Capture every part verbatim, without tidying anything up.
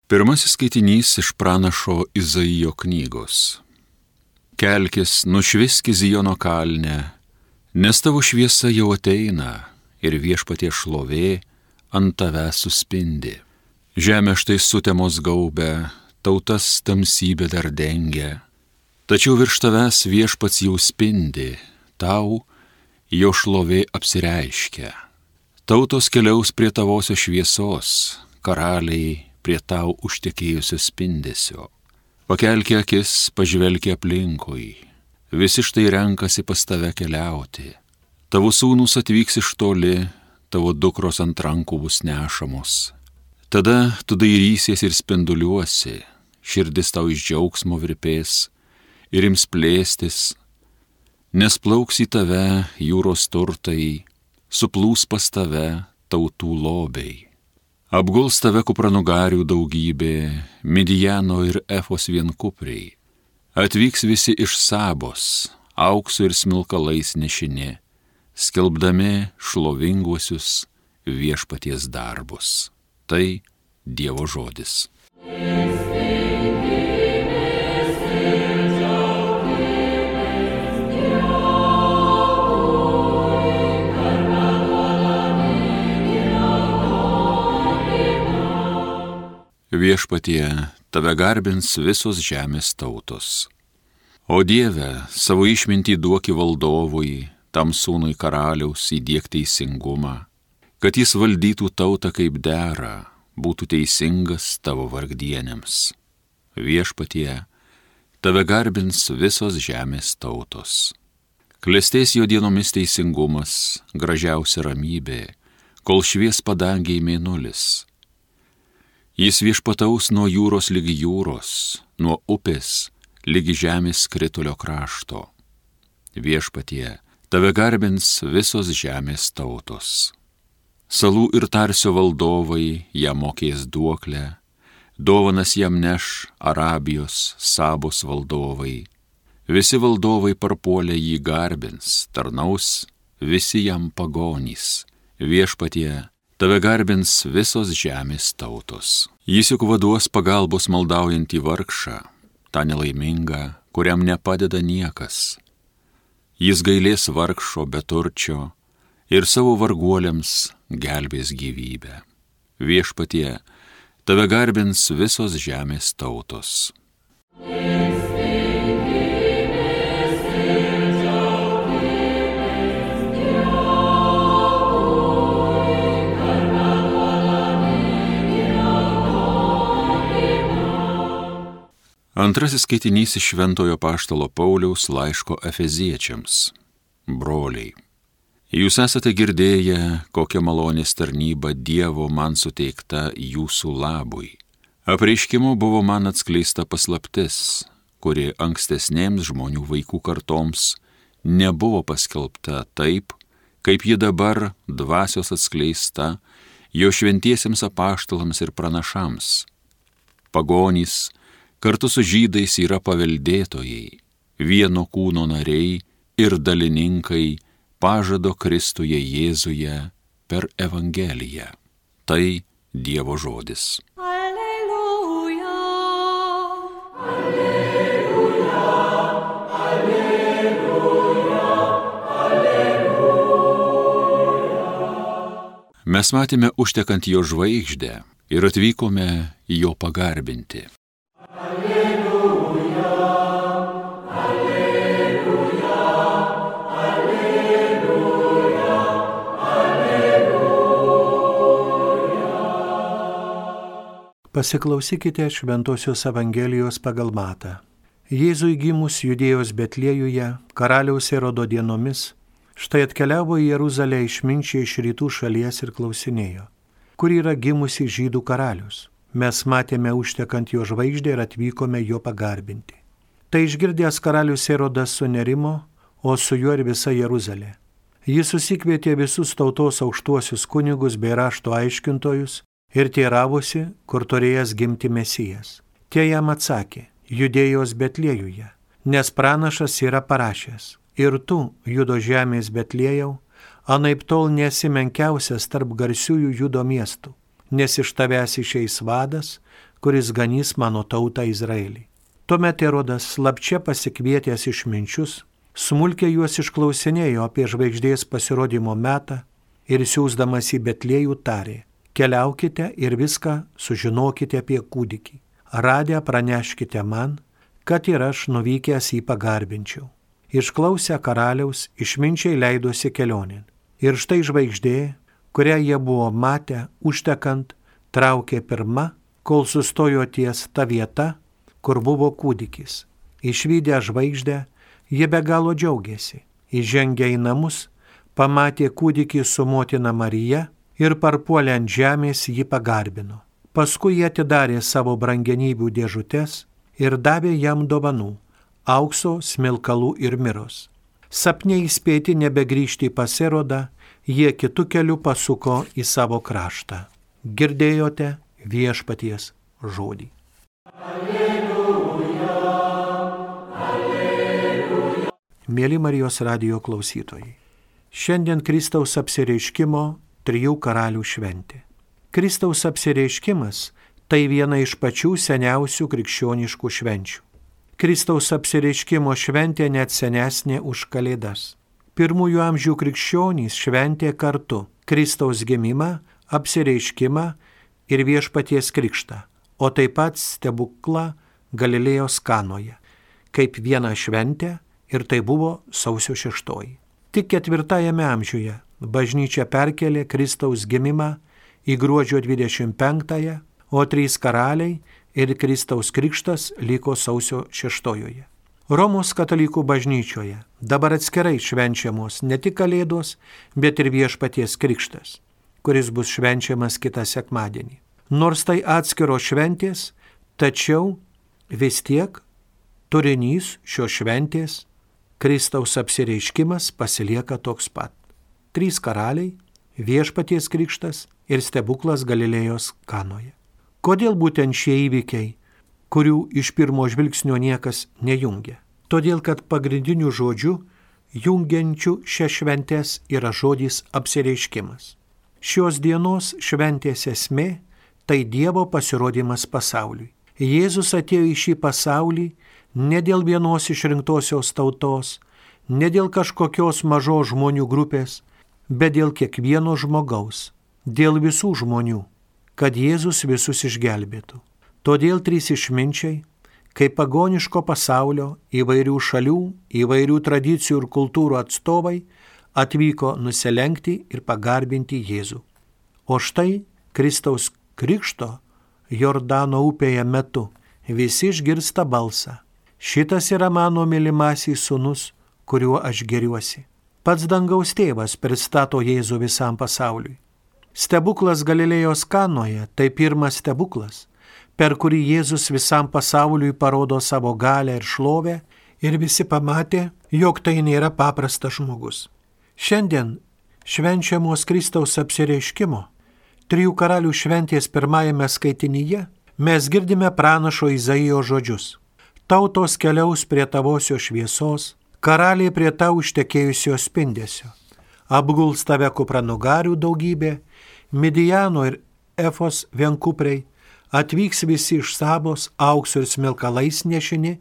Pirmasis skaitinys iš pranašo Izaijo knygos. Kelkis, nušviski Zijono kalne, nes tavo šviesa jau ateina ir viešpaties šlovė ant tavęs suspindi. Žemė štai sutemos gaubę, tautas tamsybė dar dengia, tačiau virš tavęs viešpats jau spindi, tau jo šlovė apsireiškia. Tautos keliaus prie tavosios šviesos, karaliai prie tau užtekėjusio spindesio. Pakelki akis, pažvelki aplinkui, visi štai renkasi pas tave keliauti. Tavo sūnus atvyks iš toli, tavo dukros ant rankų bus nešamos. Tada tu dairysies ir spinduliuosi, širdis tau iš džiaugsmo virpės ir ims plėstis, nes plauks į tave jūros turtai, suplūs pas tave tautų lobiai. Apguls tave kupranugarių daugybė, Midijano ir Efos vienkupriai. Atvyks visi iš Sabos, auksu ir smilkalais nešini, skelbdami šlovinguosius viešpaties darbus. Tai Dievo žodis. Viešpatie, tave garbins visos žemės tautos. O Dieve, savo išmintį duoki valdovui, tam sūnui karaliaus įdiek teisingumą, kad jis valdytų tautą kaip dera, būtų teisingas tavo vargdienėms. Viešpatie, tave garbins visos žemės tautos. Klestės jo dienomis teisingumas, gražiausia ramybė, kol švies padangiai mėnulis. Jis viešpataus nuo jūros lygi jūros, nuo upės lygi žemės skritulio krašto. Viešpatie, tave garbins visos žemės tautos. Salų ir Tarsio valdovai jam mokės duoklę, dovanas jam neš Arabijos, Sabos valdovai. Visi valdovai parpuolę jį garbins, tarnaus visi jam pagonys. Viešpatie, tave garbins visos žemės tautos. Jis juk vaduos pagalbos maldaujantį vargšą, tą nelaimingą, kuriam nepadeda niekas. Jis gailės vargšo beturčio ir savo varguoliams gelbės gyvybę. Viešpatie, tave garbins visos žemės tautos. Antrasis skaitinys iš Šventojo Apaštalo Pauliaus laiško Efeziečiams. Broliai, jūs esate girdėję, kokia malonės tarnyba Dievo man suteikta jūsų labui. Apreiškimu buvo man atskleista paslaptis, kuri ankstesnėms žmonių vaikų kartoms nebuvo paskelbta taip, kaip ji dabar dvasios atskleista jo šventiesiems apaštalams ir pranašams. Pagonys kartu su žydais yra paveldėtojai, vieno kūno nariai ir dalininkai pažado Kristuje Jėzuje per Evangeliją. Tai Dievo žodis. Alleluja, alleluja, alleluja, alleluja. Mes matėme užtekant jo žvaigždę ir atvykome jo pagarbinti. Pasiklausykite Šventosios Evangelijos pagal Matą. Jėzui gimus Judėjos Betliejuje, karaliaus Erodo dienomis, štai atkeliavo į Jeruzalę išminčiai iš rytų šalies ir klausinėjo, kur yra gimusi žydų karalius. Mes matėme užtekant jo žvaigždę ir atvykome jo pagarbinti. Tai išgirdęs karalius Erodas sunerimo, o su juo ir visa Jeruzalė. Jis susikvietė visus tautos aukštuosius kunigus bei rašto aiškintojus ir teiravosi, kur turėjęs gimti Mesijas. Tie jam atsakė, Judėjos Betliejuje, nes pranašas yra parašęs, ir tu, Judo žemės Betliejau, anaiptol nesi menkiausias tarp garsiųjų Judo miestų, nes iš tavęs išeis vadas, kuris ganys mano tautą Izraelį. Tuomet Erodas slapčia pasikvietęs išminčius, smulkiai juos išklausinėjo apie žvaigždės pasirodymo metą ir siųsdamas į Betliejų tarė: keliaukite ir viską sužinokite apie kūdikį. Radę praneškite man, kad ir aš nuvykęs jį pagarbinčiau. Išklausę karaliaus, išminčiai leidosi kelionėn. Ir štai žvaigždė, kurią jie buvo matę užtekant, traukė pirma, kol sustojo ties ta vieta, kur buvo kūdikis. Išvydę žvaigždę, jie be galo džiaugiasi. Įžengę į namus, pamatė kūdikį su motina Marija ir parpuolę ant žemės jį pagarbino. Paskui jie atidarė savo brangenybių dėžutes ir davė jam dovanų – aukso, smilkalų ir miros. Sapne įspėti nebegrįžti pas Erodą, jie kitu keliu pasuko į savo kraštą. Girdėjote viešpaties žodį. Alleluja, alleluja. Mėly Marijos radijo klausytojai, šiandien Kristaus apsireiškimo trijų karalių šventė. Kristaus apsireiškimas tai viena iš pačių seniausių krikščioniškų švenčių. Kristaus apsireiškimo šventė net senesnė už Kalėdas. Pirmųjų amžių krikščionys šventė kartu Kristaus gimimą, apsireiškimą ir viešpaties krikštą, o taip pat stebuklą Galilėjos Kanoje, kaip vieną šventę, ir tai buvo sausio šeštoji. Tik ketvirtajame amžiuje bažnyčia perkelė Kristaus gimimą į gruodžio dvidešimt penktąją, o trys karaliai ir Kristaus krikštas liko sausio šeštojoje. Romos katalikų bažnyčioje dabar atskirai švenčiamos ne tik Kalėdos, bet ir viešpaties krikštas, kuris bus švenčiamas kitą sekmadienį. Nors tai atskiros šventės, tačiau vis tiek turinys šios šventės, Kristaus apsireiškimas, pasilieka toks pat. Trys karaliai, viešpaties krikštas ir stebuklas Galilėjos Kanoje. Kodėl būtent šie įvykiai, kurių iš pirmo žvilgsnio niekas nejungia? Todėl, kad pagrindiniu žodžiu, jungiančių šias šventės yra žodis apsireiškimas. Šios dienos šventės esmė – tai Dievo pasirodymas pasauliui. Jėzus atėjo į šį pasaulį ne dėl vienos išrinktosios tautos, ne dėl kažkokios mažos žmonių grupės, bet dėl kiekvieno žmogaus, dėl visų žmonių, kad Jėzus visus išgelbėtų. Todėl trys išminčiai, kaip pagoniško pasaulio, įvairių šalių, įvairių tradicijų ir kultūrų atstovai, atvyko nusilenkti ir pagarbinti Jėzų. O štai Kristaus krikšto Jordano upėje metu visi išgirsta balsą: šitas yra mano mylimasis sūnus, kuriuo aš geriuosi. Pats dangaus tėvas pristato Jėzų visam pasauliui. Stebuklas Galilėjos Kanoje tai pirmas stebuklas, per kurį Jėzus visam pasauliui parodo savo galią ir šlovę, ir visi pamatė, jog tai nėra paprastas žmogus. Šiandien švenčiamos Kristaus apsireiškimo, trijų karalių šventės pirmajame skaitinyje, mes girdime pranašo Izaijo žodžius: tautos keliaus prie tavosios šviesos, karaliai prie tau ištekėjusio spindesio. Apguls tave kupranugarių daugybė, Midijano ir Efos vienkupriai, atvyks visi iš Sabos aukso ir smilkalais nešini,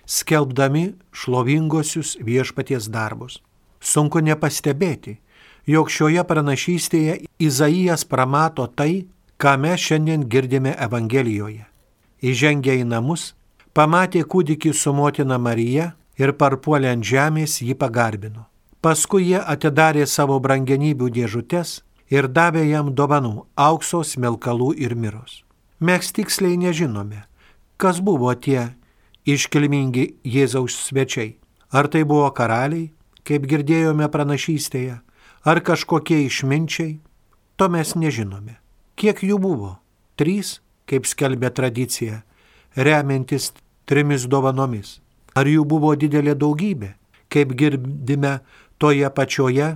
skelbdami šlovingosius viešpaties darbus. Sunku nepastebėti, jog šioje pranašystėje Izaijas pramato tai, ką mes šiandien girdime Evangelijoje. Įžengę į namus, pamatė kūdikį su motina Marija ir parpuolę ant žemės jį pagarbino. Paskui jie atidarė savo brangenybių dėžutes ir davė jam dovanų – aukso, smilkalų ir miros. Mes tiksliai nežinome, kas buvo tie iškilmingi Jėzaus svečiai. Ar tai buvo karaliai, kaip girdėjome pranašystėje, ar kažkokie išminčiai, to mes nežinome. Kiek jų buvo? Trys, kaip skelbia tradicija, remiantis trimis dovanomis. Ar jų buvo didelė daugybė, kaip girdime toje pačioje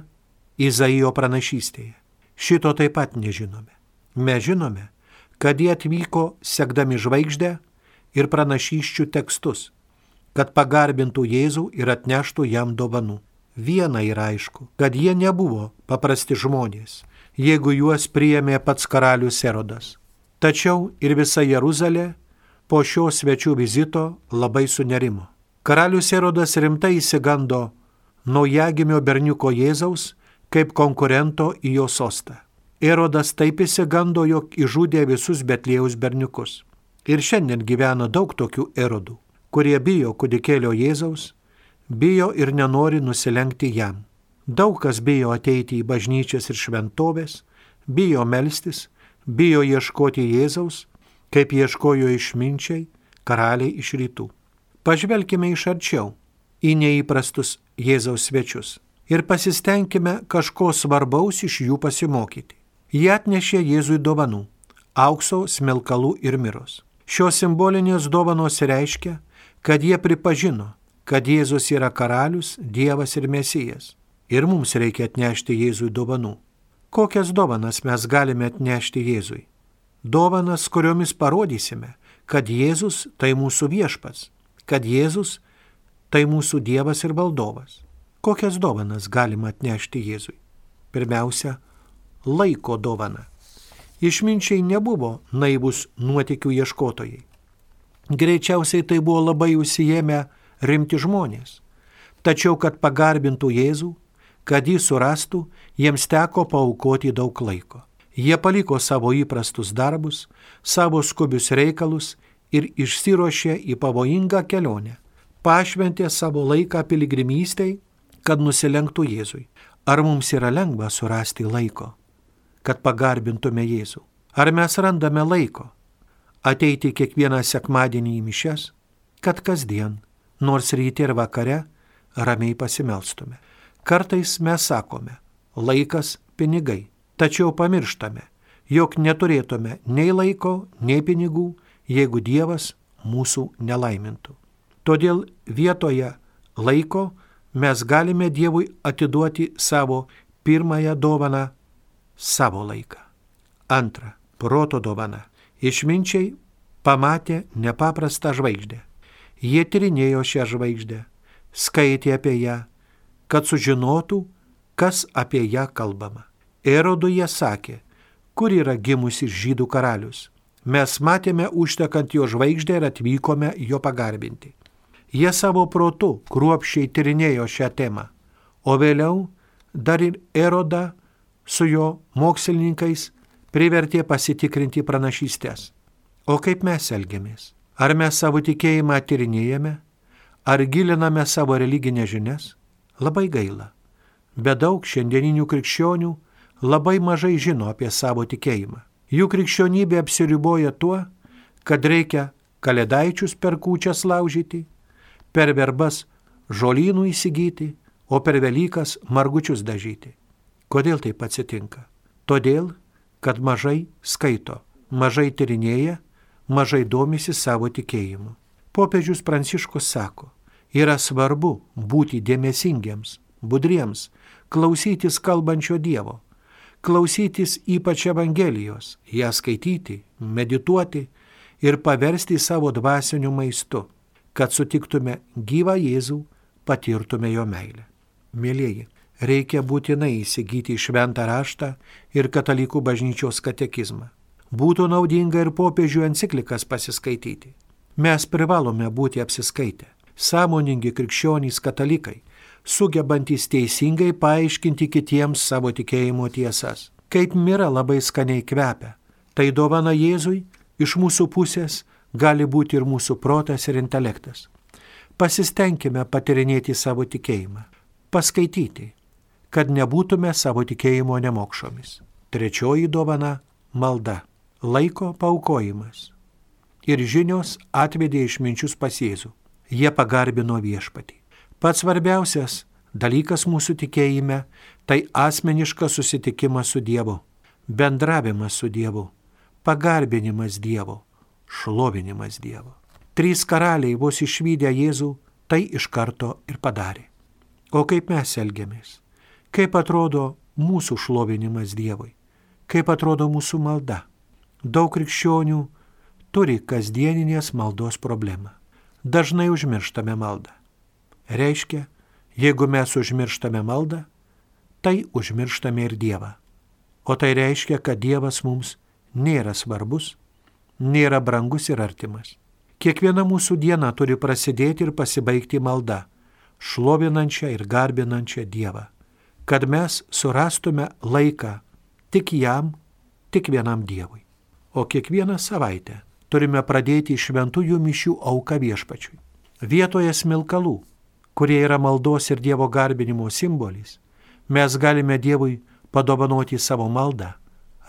Izaijo pranašystėje? Šito taip pat nežinome. Mes žinome, kad jie atvyko sekdami žvaigždę ir pranašysčių tekstus, kad pagarbintų Jėzų ir atneštų jam dovanų. Viena yra aišku, kad jie nebuvo paprasti žmonės, jeigu juos priėmė pats karalius Erodas. Tačiau ir visa Jeruzalė po šio svečių vizito labai sunerimo. Karalius Erodas rimtai įsigando naujagimio berniuko Jėzaus kaip konkurento į jo sostą. Erodas taip įsigando, jog išžudė visus Betliejaus berniukus. Ir šiandien gyvena daug tokių Erodų, kurie bijo kūdikėlio Jėzaus, bijo ir nenori nusilenkti jam. Daug kas bijo ateiti į bažnyčias ir šventovės, bijo melstis, bijo ieškoti Jėzaus, kaip ieškojo išminčiai, karaliai iš rytų. Pažvelkime iš arčiau į neįprastus Jėzaus svečius ir pasistengkime kažko svarbaus iš jų pasimokyti. Jie atnešė Jėzui dovanų – aukso, smilkalų ir miros. Šios simbolinės dovanos reiškia, kad jie pripažino, kad Jėzus yra karalius, Dievas ir Mesijas. Ir mums reikia atnešti Jėzui dovanų. Kokias dovanas mes galime atnešti Jėzui? Dovanas, kuriomis parodysime, kad Jėzus tai mūsų viešpats, kad Jėzus tai mūsų Dievas ir valdovas. Kokias dovanas galima atnešti Jėzui? Pirmiausia, laiko dovana. Išminčiai nebuvo naivus nuotykių ieškotojai. Greičiausiai tai buvo labai užsiėmę rimti žmonės. Tačiau, kad pagarbintų Jėzų, kad jį surastų, jiems teko paaukoti daug laiko. Jie paliko savo įprastus darbus, savo skubius reikalus ir išsiruošė į pavojingą kelionę. Pašventė savo laiką piligrimystei, kad nusilenktų Jėzui. Ar mums yra lengva surasti laiko, kad pagarbintume Jėzų? Ar mes randame laiko ateiti kiekvieną sekmadienį į mišias, kad kasdien, nors ryte ir vakare, ramiai pasimelstume? Kartais mes sakome, laikas pinigai, tačiau pamirštame, jog neturėtume nei laiko, nei pinigų, jeigu Dievas mūsų nelaimintų. Todėl vietoje laiko mes galime Dievui atiduoti savo pirmąją dovaną – savo laiką. Antra – proto dovana. Išminčiai pamatė nepaprastą žvaigždę. Jie tyrinėjo šią žvaigždę, skaitė apie ją, kad sužinotų, kas apie ją kalbama. Erodui jie sakė, kur yra gimusi žydų karalius. Mes matėme užtekant jo žvaigždę ir atvykome jo pagarbinti. Jie savo protu kruopščiai tyrinėjo šią temą, o vėliau dar ir Erodą su jo mokslininkais privertė pasitikrinti pranašystės. O kaip mes elgiamės? Ar mes savo tikėjimą tyrinėjame? Ar giliname savo religinės žinias? Labai gaila. Bet daug šiandieninių krikščionių labai mažai žino apie savo tikėjimą. Jų krikščionybė apsiriboja tuo, kad reikia kalėdaičius per kūčias laužyti, per verbas žolynų įsigyti, o per Velykas margučius dažyti. Kodėl taip atsitinka? Todėl, kad mažai skaito, mažai tyrinėja, mažai domisi savo tikėjimu. Popiežius Pranciškus sako, yra svarbu būti dėmesingiams, budriems, klausytis kalbančio Dievo, klausytis ypač Evangelijos, ją skaityti, medituoti ir paversti savo dvasiniu maistu, kad sutiktume gyvą Jėzų, patirtume jo meilę. Mėlieji, reikia būtinai įsigyti šventą raštą ir katalikų bažnyčios katekizmą. Būtų naudinga ir popiežių enciklikas pasiskaityti. Mes privalome būti apsiskaitę, sąmoningi krikščionys katalikai, sugebantys teisingai paaiškinti kitiems savo tikėjimo tiesas. Kaip mira labai skaniai kvepia, tai dovana Jėzui iš mūsų pusės gali būti ir mūsų protas ir intelektas. Pasistengkime patyrinėti savo tikėjimą, paskaityti, kad nebūtume savo tikėjimo nemokšomis. Trečioji dovana – malda, laiko paaukojimas. Ir žinios atvedė išminčius pas Jėzų. Jie pagarbino viešpatį. Pats svarbiausias dalykas mūsų tikėjime – tai asmeniškas susitikimas su Dievu, bendravimas su Dievu, pagarbinimas Dievo, šlovinimas Dievo. Trys karaliai vos išvydę Jėzų tai iš karto ir padarė. O kaip mes elgiamės? Kaip atrodo mūsų šlovinimas Dievui? Kaip atrodo mūsų malda? Daug krikščionių turi kasdieninės maldos problemą. Dažnai užmirštame maldą. Reiškia, jeigu mes užmirštame maldą, tai užmirštame ir Dievą. O tai reiškia, kad Dievas mums nėra svarbus, nėra brangus ir artimas. Kiekviena mūsų diena turi prasidėti ir pasibaigti malda, šlovinančią ir garbinančią Dievą, kad mes surastume laiką tik jam, tik vienam Dievui. O kiekvieną savaitę turime pradėti šventųjų mišių auką viešpačiui. Vietoje smilkalų, kurie yra maldos ir Dievo garbinimo simbolis, mes galime Dievui padovanoti savo maldą,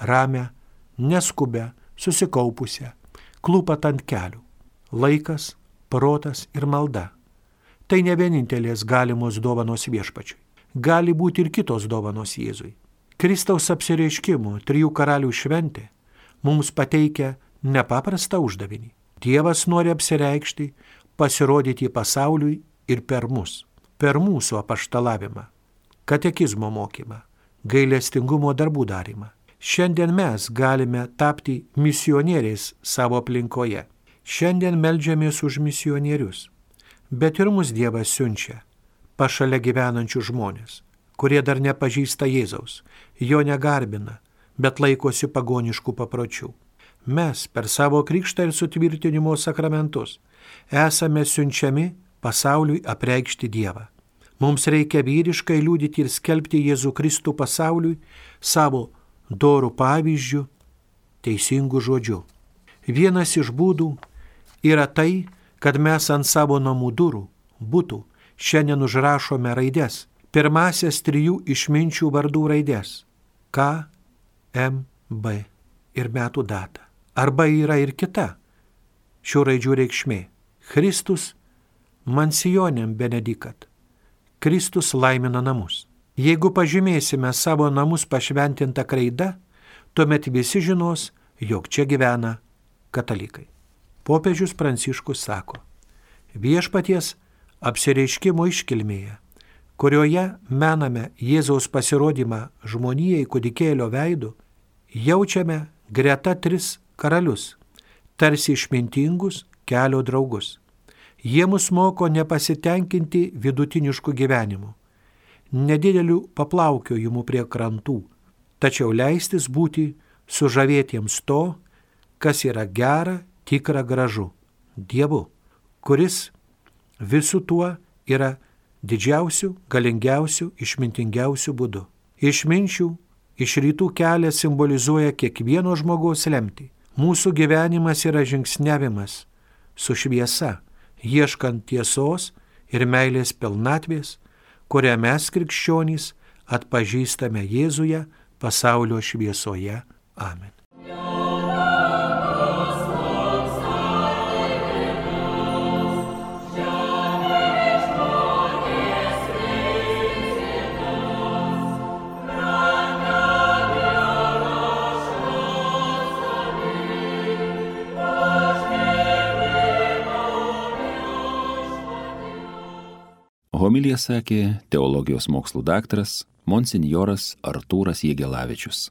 ramę, neskubę, susikaupusią, klūpat ant kelių. Laikas, protas ir malda. Tai ne vienintelės galimos dovanos viešpačiui. Gali būti ir kitos dovanos Jėzui. Kristaus apsireiškimo trijų karalių šventė mums pateikia nepaprastą uždavinį. Dievas nori apsireikšti, pasirodyti pasauliui ir per mus, per mūsų apaštalavimą, katekizmo mokymą, gailestingumo darbų darymą. Šiandien mes galime tapti misionieriais savo aplinkoje. Šiandien meldžiamės už misionierius, bet ir mus Dievas siunčia pašalia gyvenančių žmonės, kurie dar nepažįsta Jėzaus, jo negarbina, bet laikosi pagoniškų papročių. Mes per savo krikštą ir sutvirtinimo sakramentus esame siunčiami pasauliui apreikšti Dievą. Mums reikia vyriškai liudyti ir skelbti Jėzų Kristų pasauliui savo dorų pavyzdžių, teisingų žodžių. Vienas iš būdų yra tai, kad mes ant savo namų durų, butų, šiandien užrašome raides, pirmasias trijų išminčių vardų raides – K, M, B ir metų datą. Arba yra ir kita šių raidžių reikšmė – Kristus mansionem benedikat. Kristus laimina namus. Jeigu pažymėsime savo namus pašventintą kraidą, tuomet visi žinos, jog čia gyvena katalikai. Popiežius Pranciškus sako, viešpaties apsireiškimo iškilmėje, kurioje mename Jėzaus pasirodymą žmonijai kūdikėlio veidu, jaučiame greta tris karalius, tarsi išmintingus kelio draugus. Jie mus moko nepasitenkinti vidutinišku gyvenimu, nedideliu paplaukiojimu prie krantų, tačiau leistis būti sužavėtiems to, kas yra gera, tikra, gražu, Dievu, kuris visų tuo yra didžiausių, galingiausių, išmintingiausių būdų. Išminčių iš rytų kelias simbolizuoja kiekvieno žmogaus lemtį. Mūsų gyvenimas yra žingsniavimas su šviesa, ieškant tiesos ir meilės pilnatvės, kurią mes krikščionys atpažįstame Jėzuje pasaulio šviesoje. Amen. Homiliją sakė teologijos mokslų daktaras monsinjoras Artūras Jegelavičius.